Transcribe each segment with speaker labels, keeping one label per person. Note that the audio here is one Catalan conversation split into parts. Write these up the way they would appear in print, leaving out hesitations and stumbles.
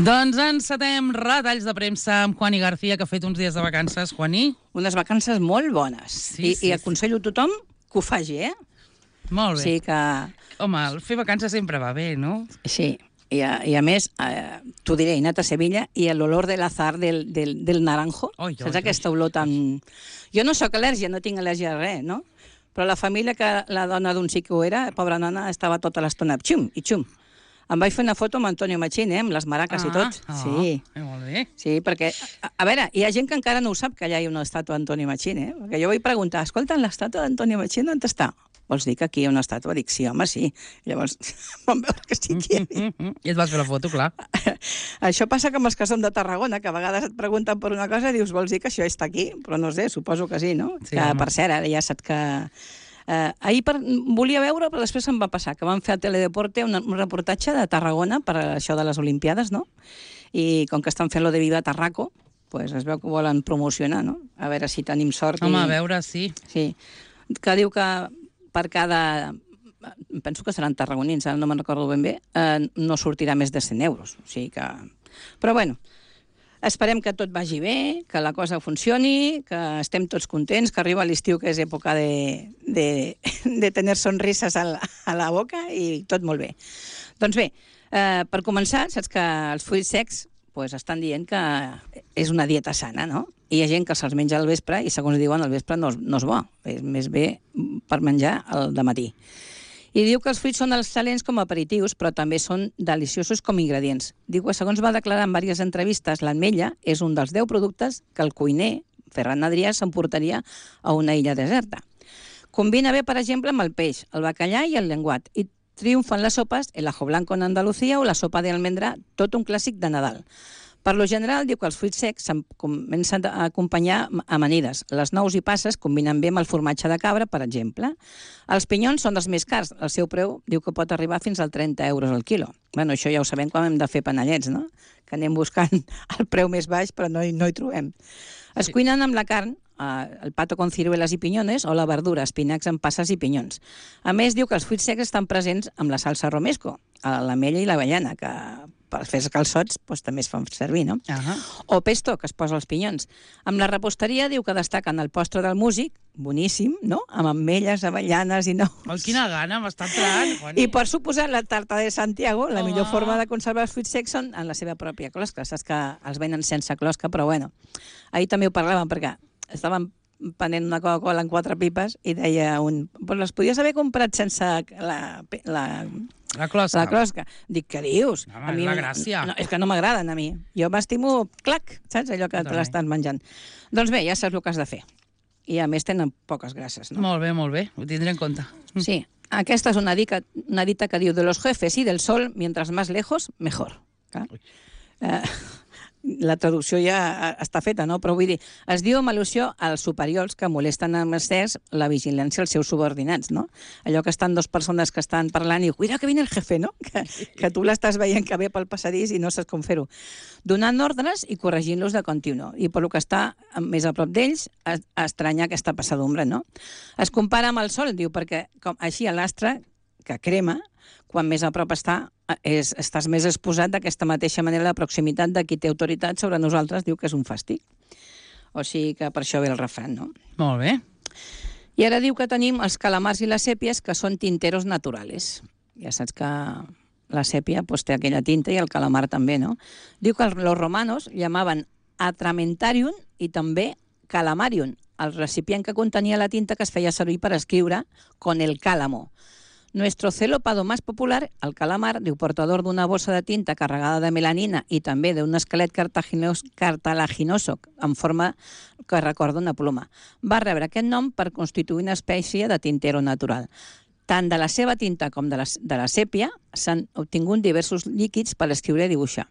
Speaker 1: Doncs encetem retalls de premsa amb Juani García, que ha fet uns dies de vacances. Juani?
Speaker 2: Unes vacances molt bones.
Speaker 1: Sí,
Speaker 2: I aconsello a tothom que ho faci,
Speaker 1: Molt bé.
Speaker 2: Sí que...
Speaker 1: Home, fer vacances sempre va bé, no?
Speaker 2: Sí, i a més, t'ho diré, he anat a Sevilla i l'olor de l'azar del naranjo, saps aquesta olor tan... Jo no sóc al·lèrgia, no tinc al·lèrgia a res, no? Però la família, que la dona d'un sí que ho era, pobra nana, estava tota l'estona xum i xum. Em vaig fer una foto amb Antonio Machín, amb les maraques i tot. Sí.
Speaker 1: Molt bé.
Speaker 2: Sí, perquè, a veure, hi ha gent que encara no ho sap, que allà hi ha una estàtua d'Antonio Machín, Perquè jo vaig preguntar, escolta, l'estàtua d'Antonio Machín on està? Vols dir que aquí hi ha una estàtua? Dic, sí, home, sí. Llavors vam veure que sí que hi havia.
Speaker 1: I et vas fer la foto, clar.
Speaker 2: Això passa com els que som de Tarragona, que a vegades et pregunten per una cosa i dius, vols dir que això està aquí? Però no sé, suposo que sí, no?
Speaker 1: Sí,
Speaker 2: que,
Speaker 1: home.
Speaker 2: per cert, ara ja saps que... ahir volia veure, però després em va passar, que van fer a Teledeporte un reportatge de Tarragona per això de les Olimpiades, no? I com que estan fent lo de Viva Tarraco, pues es veu que volen promocionar, no? A veure si tenim sort.
Speaker 1: Home, a veure, sí.
Speaker 2: Sí. Que diu que per cada... Penso que seran tarragonins, ara no me'n recordo ben bé, no sortirà més de 100 euros. O sigui que... Però bueno, esperem que tot vagi bé, que la cosa funcioni, que estem tots contents, que arriba l'estiu, que és època de tenir sonrises a la boca, i tot molt bé. Doncs bé, per començar, saps que els fruits secs pues, estan dient que és una dieta sana, no? I hi ha gent que se'ls menja al vespre i, segons diuen, al vespre no és bo. És més bé per menjar al dematí. I diu que els fruits són excel·lents com a aperitius, però també són deliciosos com a ingredients. Diu que, segons va declarar en diverses entrevistes, l'ametlla és un dels 10 productes que el cuiner, Ferran Adrià, s'emportaria a una illa deserta. Combina bé, per exemple, amb el peix, el bacallà i el llenguat, i triomfen les sopes, el ajo blanco en Andalucía o la sopa d'almendra, tot un clàssic de Nadal. Per lo general, diu que els fruits secs comencen a acompanyar amanides. Les nous i passes combinen bé amb el formatge de cabra, per exemple. Els pinyons són dels més cars. El seu preu diu que pot arribar fins als 30 euros al quilo. Bueno, això ja ho sabem quan hem de fer panellets, no? Que anem buscant el preu més baix, però no hi trobem. Es cuinen amb la carn, el pato con ciruelas i pinyones, o la verdura, espinacs amb passes i pinyons. A més, diu que els fruits secs estan presents amb la salsa romesco, l'ametlla i l'avellana, que per fer els calçots també es fan servir, no? O pesto, que es posa als pinyons. Amb la reposteria diu que destaquen el postre del músic, boníssim, no? Amb ametlles, avellanes i nous.
Speaker 1: Oh, quina gana, m'està entrant, Juani.
Speaker 2: I per suposar, la tarta de Santiago, la millor forma de conservar els fruits secs són en la seva pròpia closca. Saps que els venen sense closca, però bueno. Ahir també ho parlàvem, perquè estàvem prenent una Coca-Cola en 4 pipes i deia un... Però les podies haver comprat sense
Speaker 1: la closca.
Speaker 2: La closca. Dic, què dius?
Speaker 1: No, a mi, la gràcia.
Speaker 2: No, és que no m'agraden a mi. Jo m'estimo, clac, saps? Allò que te l'estàs menjant. Doncs bé, ja saps el que has de fer. I a més tenen poques grasses, no?
Speaker 1: Molt bé. Ho tindré en compte.
Speaker 2: Sí. Aquesta és una dita que diu de los jefes y del sol, mientras más lejos, mejor. La traducció ja està feta, no? Però vull dir, es diu amb al·lusió als superiors que molesten amb excés la vigilància als seus subordinats, no? Allò que estan dues persones que estan parlant i cuida que viene el jefe, no? Que tu l'estàs veient que ve pel passadís i no saps com fer-ho. Donant ordres i corregint-los de continu. I per lo que està més a prop d'ells, estranya aquesta passadumbra, no? Es compara amb el sol, diu, perquè així l'astre, que crema, quan més a prop estàs més exposat d'aquesta mateixa manera la proximitat de qui té autoritat sobre nosaltres, diu que és un fàstic. O sigui que per això ve el refrany, no?
Speaker 1: Molt bé.
Speaker 2: I ara diu que tenim els calamars i les sèpies, que són tinteros naturales. Ja saps que la sèpia té aquella tinta i el calamar també, no? Diu que els romanos llamaven atramentarium i també calamarium, el recipient que contenia la tinta que es feia servir per escriure con el cálamo. Nuestro celópado más popular, el calamar, diu, portador d'una bossa de tinta carregada de melanina i també d'un esquelet cartilaginoso en forma que recorda una ploma, va rebre aquest nom per constituir una espècie de tintero natural. Tant de la seva tinta com de la sèpia s'han obtingut diversos líquids per escriure i dibuixar.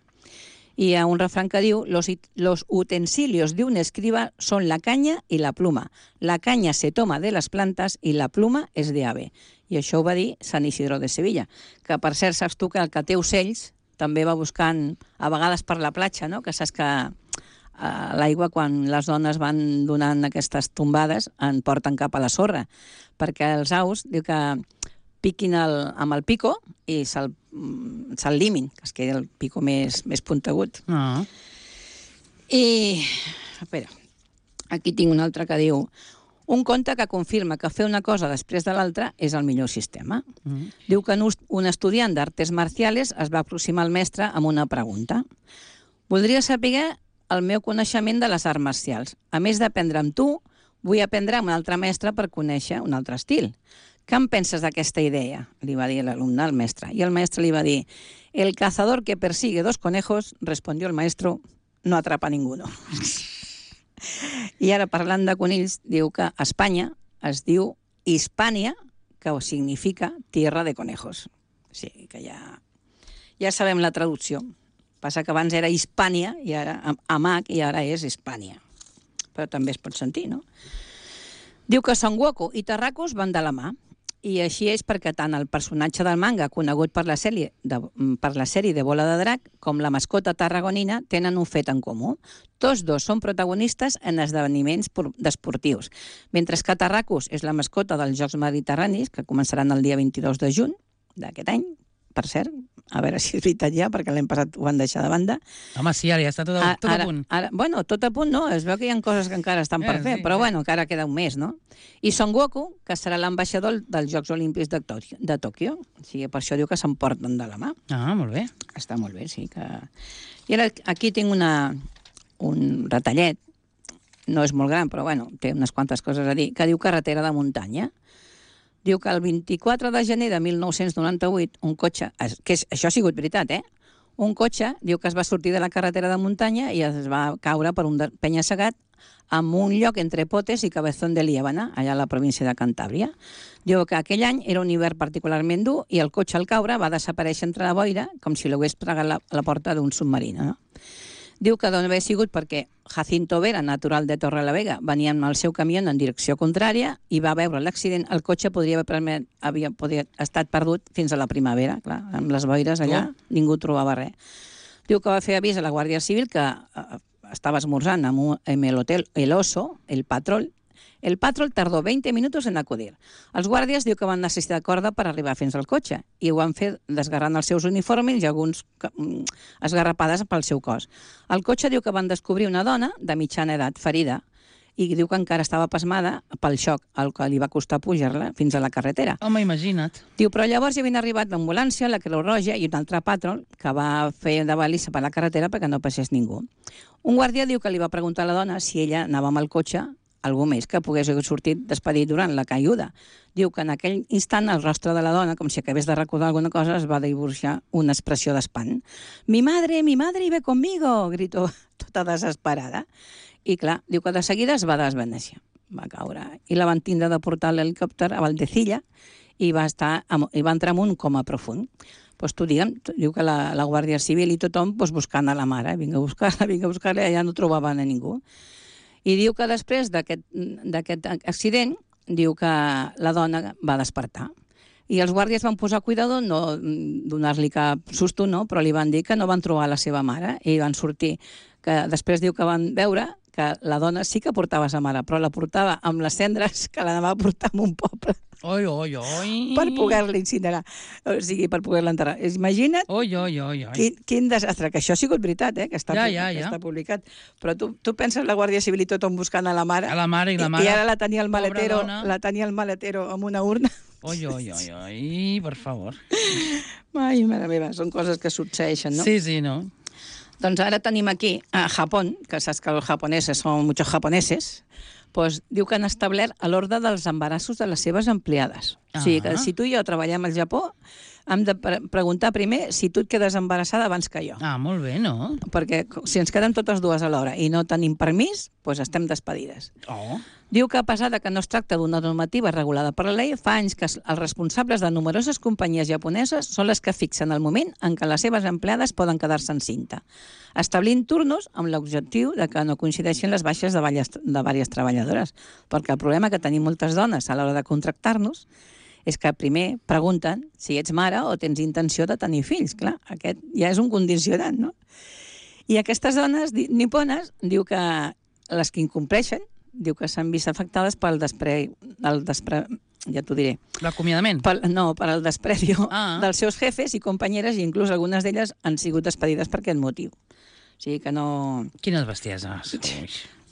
Speaker 2: Y a un refrán que diu, los utensilios de un escriba son la caña y la pluma. La caña se toma de las plantas y la pluma es de ave. I això ho va dir Sant Isidro de Sevilla, que per cert saps tu que el que té ocells també va buscant a vegades per la platja, no? Que saps que l'aigua, quan les dones van donant aquestes tombades, en porten cap a la sorra, perquè els aus, diu que piquin amb el pico i se'l limin, que es quedi el pico més puntegut. I, espera, aquí tinc un altre que diu: un conte que confirma que fer una cosa després de l'altra és el millor sistema. Diu que un estudiant d'artes marciales es va aproximar al mestre amb una pregunta. Voldria saber el meu coneixement de les arts marcials. A més d'aprendre amb tu, vull aprendre amb un altre mestre per conèixer un altre estil. Què en penses d'aquesta idea? Li va dir l'alumne al mestre. I el mestre li va dir: el cazador que persigue 2 conejos, respondió el maestro, no atrapa ninguno. I ara, parlant de conills, diu que a Espanya es diu Hispània, que significa tierra de conejos. O sigui que ja sabem la traducció. Passa que abans era Hispània, i ara amb H, i ara és Hispània. Però també es pot sentir, no? Diu que Son Goku i Tarracos van de la mà. I així és perquè tant el personatge del manga, conegut per la sèrie de Bola de Drac, com la mascota tarragonina tenen un fet en comú. Tots dos són protagonistes en esdeveniments desportius, mentre que Tarracos és la mascota dels Jocs Mediterranis, que començaran el dia 22 de juny d'aquest any, per cert, a veure si és veritat ja, perquè l'any passat ho van deixar de banda.
Speaker 1: Home, sí, ara ja està tot a punt.
Speaker 2: Bueno, tot a punt no, es veu que hi ha coses que encara estan per fer, però bueno, encara queda un mes, no? I Son Goku, que serà l'ambaixador dels Jocs Olímpics de Tòquio. O sigui, per això diu que s'emporten de la mà.
Speaker 1: Ah, molt bé.
Speaker 2: Està molt bé, sí. I ara aquí tinc un retallet, no és molt gran, però bueno, té unes quantes coses a dir, que diu carretera de muntanya. Diu que el 24 de gener de 1998 un cotxe, això ha sigut veritat, un cotxe diu que es va sortir de la carretera de muntanya i es va caure per un penya-segat en un lloc entre Potes i Cabezón de Liébana, allà a la província de Cantàbria. Diu que aquell any era un hivern particularment dur i el cotxe al caure va desaparèixer entre la boira com si l'hagués pregat la porta d'un submarí, no? Diu que d'on havia sigut perquè Jacinto Vera, natural de Torrelavega, venia amb el seu camió en direcció contrària i va veure l'accident. El cotxe podria haver estat perdut fins a la primavera. Clar, amb les boires allà ningú trobava res. Diu que va fer avís a la Guàrdia Civil que estava esmorzant amb el hotel El Oso, el Patrol. El Patrol tardó 20 minutos en acudir. Els guàrdies diu que van necessitar corda per arribar fins al cotxe i ho van fer desgarrant els seus uniformes i alguns esgarrapades pel seu cos. Al cotxe diu que van descobrir una dona de mitjana edat ferida i diu que encara estava pasmada pel xoc, el que li va costar pujar-la fins a la carretera.
Speaker 1: Home, imagina't.
Speaker 2: Diu, però llavors ja havien arribat l'ambulància, la Creu Roja i un altre Patrol que va fer de balissa per la carretera perquè no passés ningú. Un guàrdia diu que li va preguntar a la dona si ella anava amb el cotxe algú més que pogués haver sortit despedit durant la caiguda. Diu que en aquell instant el rostre de la dona, com si acabés de recordar alguna cosa, es va dibuixar una expressió d'espant. Mi madre ve conmigo! Gritó tota desesperada. I clar, diu que de seguida es va desvanecer. Va caure. I la van tindre de portar a l'helicòpter a Valdecilla i va entrar en un coma profund. Pues diu que la Guàrdia Civil i tothom buscant a la mare. Vinga a buscar-la, ja no trobaven a ningú. I diu que després d'aquest accident, diu que la dona va despertar. I els guàrdies van posar cuidado, no donar-li cap susto, no, però li van dir que no van trobar la seva mare i van sortir. Que després diu que van veure que la dona sí que portava sa mare, però la portava amb les cendres que l'anava a portar a un poble.
Speaker 1: Oi, oi, oi.
Speaker 2: Per poder-la incinerar, o sigui, per poder-la enterrar. Imagina't quin desastre, que això ha sigut veritat, que està publicat. Però tu penses la Guàrdia Civil i tothom buscant a la mare, i ara la tenia el maletero amb una urna.
Speaker 1: Oi, per favor.
Speaker 2: Ai, mare meva, són coses que succeeixen, no?
Speaker 1: Sí, no?
Speaker 2: Doncs ara tenim aquí a Japó, que saps que els japoneses són muchos japoneses, doncs diu que han establert l'ordre dels embarassos de les seves empleades. O sigui que si tu i jo treballem al Japó, hem de preguntar primer si tu et quedes embarassada abans que jo.
Speaker 1: Ah, molt bé, no?
Speaker 2: Perquè si ens quedem totes dues alhora i no tenim permís, doncs estem despedides. Diu que a pesar que no es tracta d'una normativa regulada per la llei, fa anys que els responsables de numeroses companyies japoneses són les que fixen el moment en què les seves empleades poden quedar-se encinta, establint turnos amb l'objectiu de que no coincideixin les baixes de diverses treballadores. Perquè el problema que tenim moltes dones a l'hora de contractar-nos és que primer pregunten si ets mare o tens intenció de tenir fills. Clar, aquest ja és un condicionant, no? I aquestes dones nipones diu que les que incompleixen, diu que s'han vist afectades pel ja t'ho diré.
Speaker 1: L'acomiadament?
Speaker 2: No, per al desprecio
Speaker 1: Ah.
Speaker 2: dels seus jefes i companyeres, i inclús algunes d'elles han sigut despedides per aquest motiu. O sigui que no...
Speaker 1: Quines bestieses. Ui.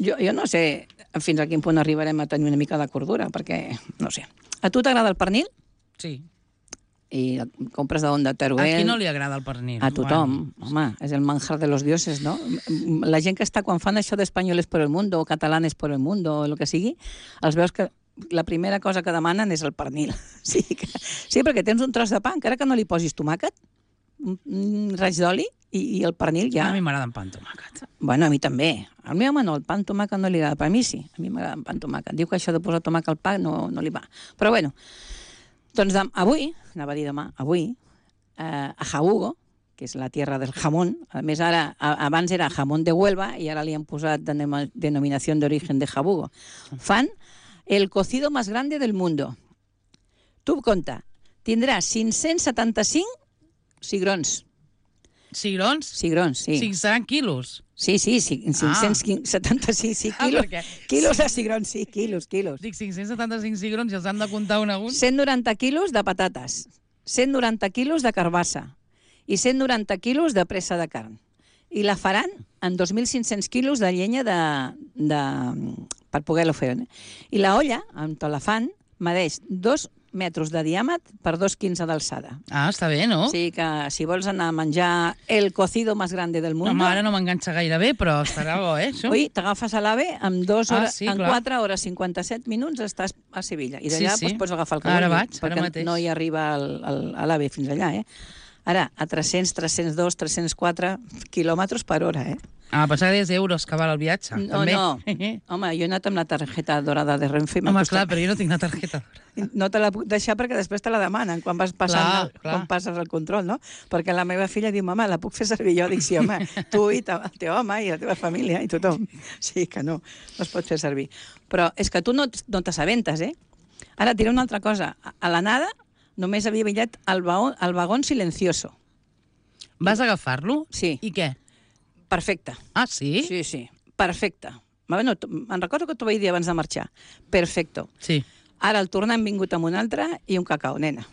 Speaker 2: Jo no sé fins a quin punt arribarem a tenir una mica de cordura, perquè, no sé. A tu t'agrada el pernil?
Speaker 1: Sí.
Speaker 2: I compres d'on? De Teruel?
Speaker 1: A qui no li agrada el pernil?
Speaker 2: A tothom. Home, és el manjar de los dioses, no? La gent que està, quan fan això d'espanyoles por el mundo, o catalanes por el mundo, o el que sigui, els veus que la primera cosa que demanen és el pernil. Sí, perquè tens un tros de pa, encara que no li posis tomàquet, un raig d'oli, i el pernil ja...
Speaker 1: A mi m'agrada amb pa amb tomàquet.
Speaker 2: Bueno, a mi també. Al meu home no, el pa amb tomàquet no li agrada, però a mi sí. A mi m'agrada amb pa amb tomàquet. Diu que això de posar tomàquet al pa no li va. Però bueno, doncs avui, anava a dir demà, a Jabugo, que és la tierra del jamón, a més ara, abans era jamón de Huelva i ara li han posat denominació d'origen de Jabugo, fan el cocido más grande del mundo. Tu compta, tindràs 575 cigrons.
Speaker 1: Cigrons?
Speaker 2: Cigrons, sí.
Speaker 1: 500 quilos?
Speaker 2: Sí, 575 quilos. Quilos de cigrons, sí, quilos.
Speaker 1: Dic 575 cigrons i els han de comptar un a un?
Speaker 2: 190 quilos de patates, 190 quilos de carbassa i 190 quilos de pressa de carn. I la faran en 2.500 quilos de llenya per poder-lo fer. I la olla, on la fan, medeix 2 metres de diàmetre per 2,15 d'alçada.
Speaker 1: Ah, està bé, no?
Speaker 2: O sigui que si vols anar a menjar el cocido más grande del mundo...
Speaker 1: No, ara no m'enganxa gaire bé, però estarà bo, això.
Speaker 2: Oi, t'agafes a l'AVE, en 4
Speaker 1: clar.
Speaker 2: hores 57 minuts estàs a Sevilla. I d'allà pots agafar el que
Speaker 1: ara
Speaker 2: vulguis,
Speaker 1: vaig, ara mateix.
Speaker 2: No hi arriba a l'AVE fins allà, Ara, a 300, 302, 304 quilòmetres per hora,
Speaker 1: Ah, pensava que deies euros que val el viatge.
Speaker 2: No,
Speaker 1: també.
Speaker 2: no. Home, jo he anat amb la targeta dorada de Renfe.
Speaker 1: Home, clar, però jo no tinc la targeta dorada.
Speaker 2: No te la puc deixar perquè després te la demanen quan vas passant, quan passes el control, no? Perquè la meva filla diu, mama, la puc fer servir jo? Dic, sí, home, tu i el teu home i la teva família i tothom. Sí que no es pot fer servir. Però és que tu no t'assabentes, Ara et diré una altra cosa. A l'anada només havia billet el vagón silencioso.
Speaker 1: Vas agafar-lo?
Speaker 2: Sí.
Speaker 1: I què?
Speaker 2: Perfecte.
Speaker 1: Ah, sí?
Speaker 2: Sí, perfecte. Bueno, me'n recordo que t'ho vaig dir abans de marxar. Perfecto.
Speaker 1: Sí.
Speaker 2: Ara al tornar hem vingut amb un altre i un cacau, nena.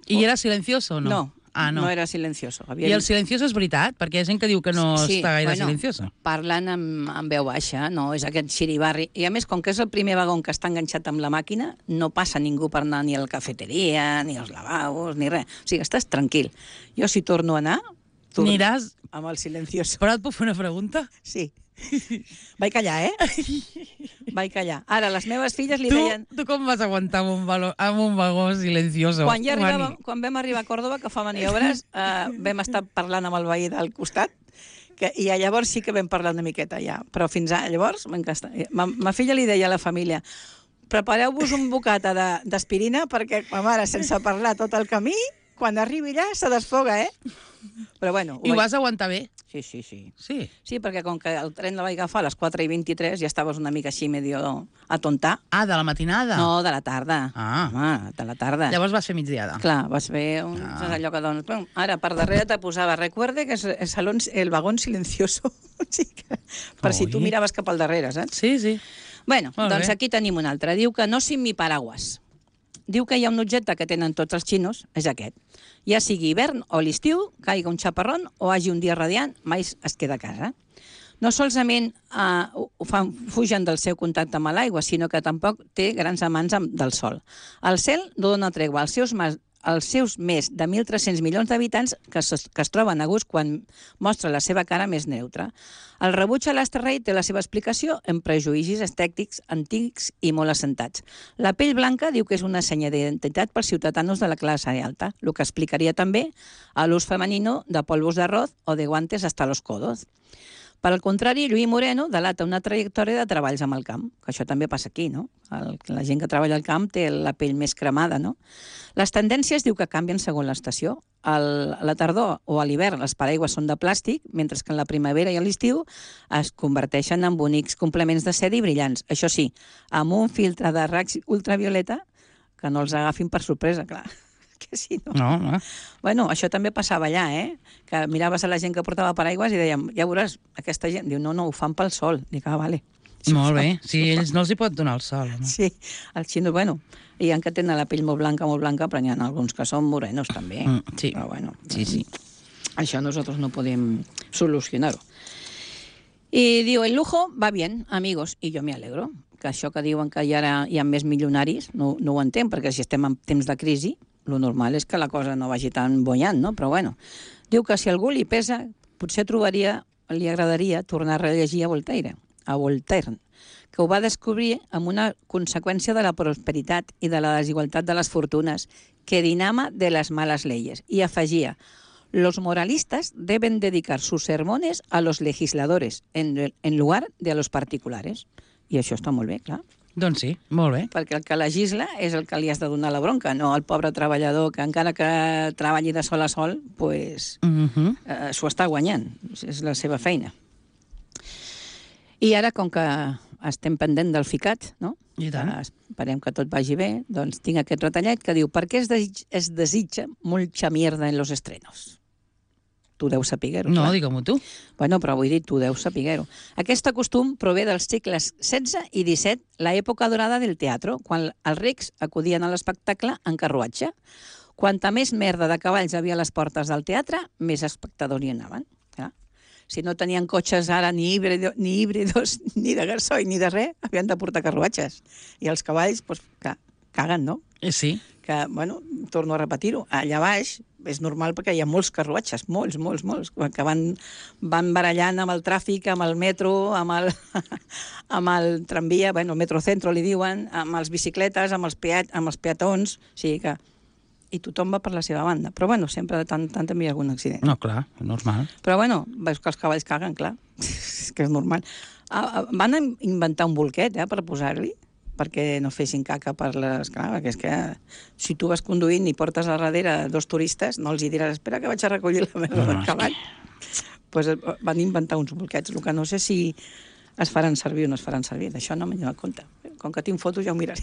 Speaker 1: I era silencioso o no?
Speaker 2: No.
Speaker 1: Ah, no.
Speaker 2: No era silencioso.
Speaker 1: I el silencioso és veritat? Perquè hi ha gent que diu que no està gaire silencioso.
Speaker 2: Parlen amb veu baixa, no? És aquest xiribarri. I a més, com que és el primer vagó que està enganxat amb la màquina, no passa ningú per anar ni a la cafeteria, ni als lavabos, ni res. O sigui, estàs tranquil. Jo, si torno a anar...
Speaker 1: Aniràs...
Speaker 2: Amb el silencioso.
Speaker 1: Però et puc fer una pregunta?
Speaker 2: Sí. Vaig callar, Vaig callar. Ara, les meves filles li deien...
Speaker 1: Tu com vas aguantar amb un vagó silencioso?
Speaker 2: Quan vam arribar a Còrdoba, que fa maniobres, vam estar parlant amb el veí del costat, i llavors sí que vam parlar una miqueta, ja. Però fins llavors m'encanta. Ma filla li deia a la família, prepareu-vos un bocata d'aspirina perquè ma mare, sense parlar tot el camí, quan arribi allà se desfoga, Però bueno...
Speaker 1: I ho vas aguantar bé?
Speaker 2: Sí.
Speaker 1: Sí?
Speaker 2: Sí, perquè com que el tren la vaig agafar a les 4:23 ja estaves una mica així medio atontar.
Speaker 1: Ah, de la matinada?
Speaker 2: No, de la tarda.
Speaker 1: Ah.
Speaker 2: Home, de la tarda.
Speaker 1: Llavors vas fer migdiada.
Speaker 2: Clar, vas fer allò que dones. Bueno, ara, per darrere te posava, recuerde que és el vagón silencioso. Per si tu miraves cap al darrere, saps?
Speaker 1: Sí.
Speaker 2: Bueno, doncs aquí tenim un altre. Diu que no sin mi paraguas. Diu que hi ha un objecte que tenen tots els xinos, és aquest. Ja sigui hivern o l'estiu, caiga un xaparrón o hagi un dia radiant, mai es queda a casa. No solament fugen del seu contacte amb l'aigua, sinó que tampoc té grans amants del sol. El cel no dona tregua als seus més de 1.300 milions d'habitants que es troben a gust quan mostra la seva cara més neutra. El rebuig a l'asterrei té la seva explicació en prejudicis estètics antics i molt assentats. La pell blanca diu que és una senya d'identitat pels ciutadans de la classe alta, el que explicaria també l'ús femenino de polvos d'arroz o de guantes hasta los codos. Per al contrari, Lluís Moreno delata una trajectòria de treballs amb el camp, que això també passa aquí, no? La gent que treballa al camp té la pell més cremada, no? Les tendències diu que canvien segons l'estació. A la tardor o a l'hivern les paraigües són de plàstic, mentre que en la primavera i a l'estiu es converteixen en bonics complements de seda i brillants. Això sí, amb un filtre de raig ultravioleta que no els agafin per sorpresa, clar. Que sí, no?
Speaker 1: No.
Speaker 2: Bueno, això també passava allà, que miraves a la gent que portava paraigües i dèiem, ja veuràs, aquesta gent, diu, no, ho fan pel sol. Dic, vale.
Speaker 1: Molt bé. Sí, ells no els hi pot donar el sol, home.
Speaker 2: Sí, els xinos, bueno, hi ha que tenen la pell molt blanca, però n'hi ha alguns que són morenos també.
Speaker 1: Sí.
Speaker 2: Però bueno,
Speaker 1: Sí.
Speaker 2: això nosotros no podem solucionar-ho. I diu, el lujo va bien, amigos, i jo me alegro. Que això que diuen que ara hi ha més milionaris, no ho entenc, perquè si estem en temps de crisi, lo normal és que la cosa no vagi tan bollant, no? Però bueno, diu que si a algú li pesa, potser li agradaria tornar a rellegir a Voltaire, que ho va descobrir amb una conseqüència de la prosperitat i de la desigualtat de les fortunes que dinama de les males leyes. I afegia, los moralistas deben dedicar sus sermones a los legisladores en lugar de a los particulares. I això està molt bé, clar.
Speaker 1: Doncs sí, molt bé.
Speaker 2: Perquè el que legisla és el que li has de donar la bronca, no el pobre treballador que encara que treballi de sol a sol, pues, s'ho està guanyant, és la seva feina. I ara, com que estem pendent del ficat, no?
Speaker 1: I tant.
Speaker 2: Esperem que tot vagi bé, doncs tinc aquest retallet que diu ¿per què es desitja mucha mierda en los estrenos? Tu deus saber-ho.
Speaker 1: No,
Speaker 2: clar.
Speaker 1: digue-m'ho tu.
Speaker 2: Bueno, però vull dir, tu deus saber-ho. Aquest costum prové dels segles XVI i XVII, l'època dorada del teatre, quan els rics acudien a l'espectacle en carruatge. Quanta més merda de cavalls havia a les portes del teatre, més espectadors hi anaven. Clar. Si no tenien cotxes ara ni híbridos, ni de gasoil, ni de res, havien de portar carruatges. I els cavalls, doncs, caguen, no?
Speaker 1: Sí.
Speaker 2: Que, bueno, torno a repetir-ho, allà baix és normal perquè hi ha molts carruatges, molts, que van barallant amb el tràfic, amb el metro, amb el tramvia, bueno, el metrocentro li diuen, amb les bicicletes, amb els peatons, o sigui que... I tothom va per la seva banda. Però, bueno, sempre de tant en tant també hi ha algun accident.
Speaker 1: No, clar, normal.
Speaker 2: Però, bueno, veus que els cavalls caguen, clar. És que és normal. Van inventar un bolquet, per posar-li, perquè no fessin caca per les... Clar, perquè és que si tu vas conduint i portes a darrere dos turistes, no els hi diràs, espera que vaig a recollir la merda del cavall. Pues van inventar uns bolquets, el que no sé si es faran servir o no es faran servir. D'això no m'he donat compte. Com que tinc fotos ja ho miraré.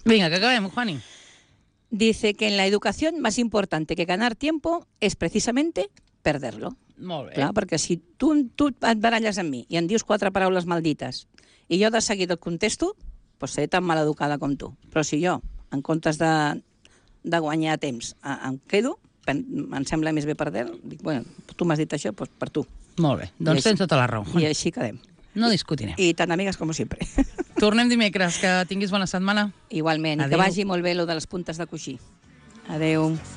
Speaker 1: Vinga, que acabem, Juani.
Speaker 2: Dice que en la educación más importante que ganar tiempo es precisamente perderlo.
Speaker 1: Molt bé.
Speaker 2: Clar, perquè si tu et baralles amb mi i em dius 4 paraules maldites i jo de seguida et contesto, doncs seré tan maleducada com tu. Però si jo, en comptes de guanyar temps, em quedo, em sembla més bé perdre-lo, dic, bueno, tu m'has dit això, doncs per tu.
Speaker 1: Molt bé, doncs tens tota la raó.
Speaker 2: I així quedem.
Speaker 1: No discutirem.
Speaker 2: I tan amigues com sempre.
Speaker 1: Tornem dimecres, que tinguis bona setmana.
Speaker 2: Igualment, i que vagi molt bé lo de les puntes de coixí. Adeu.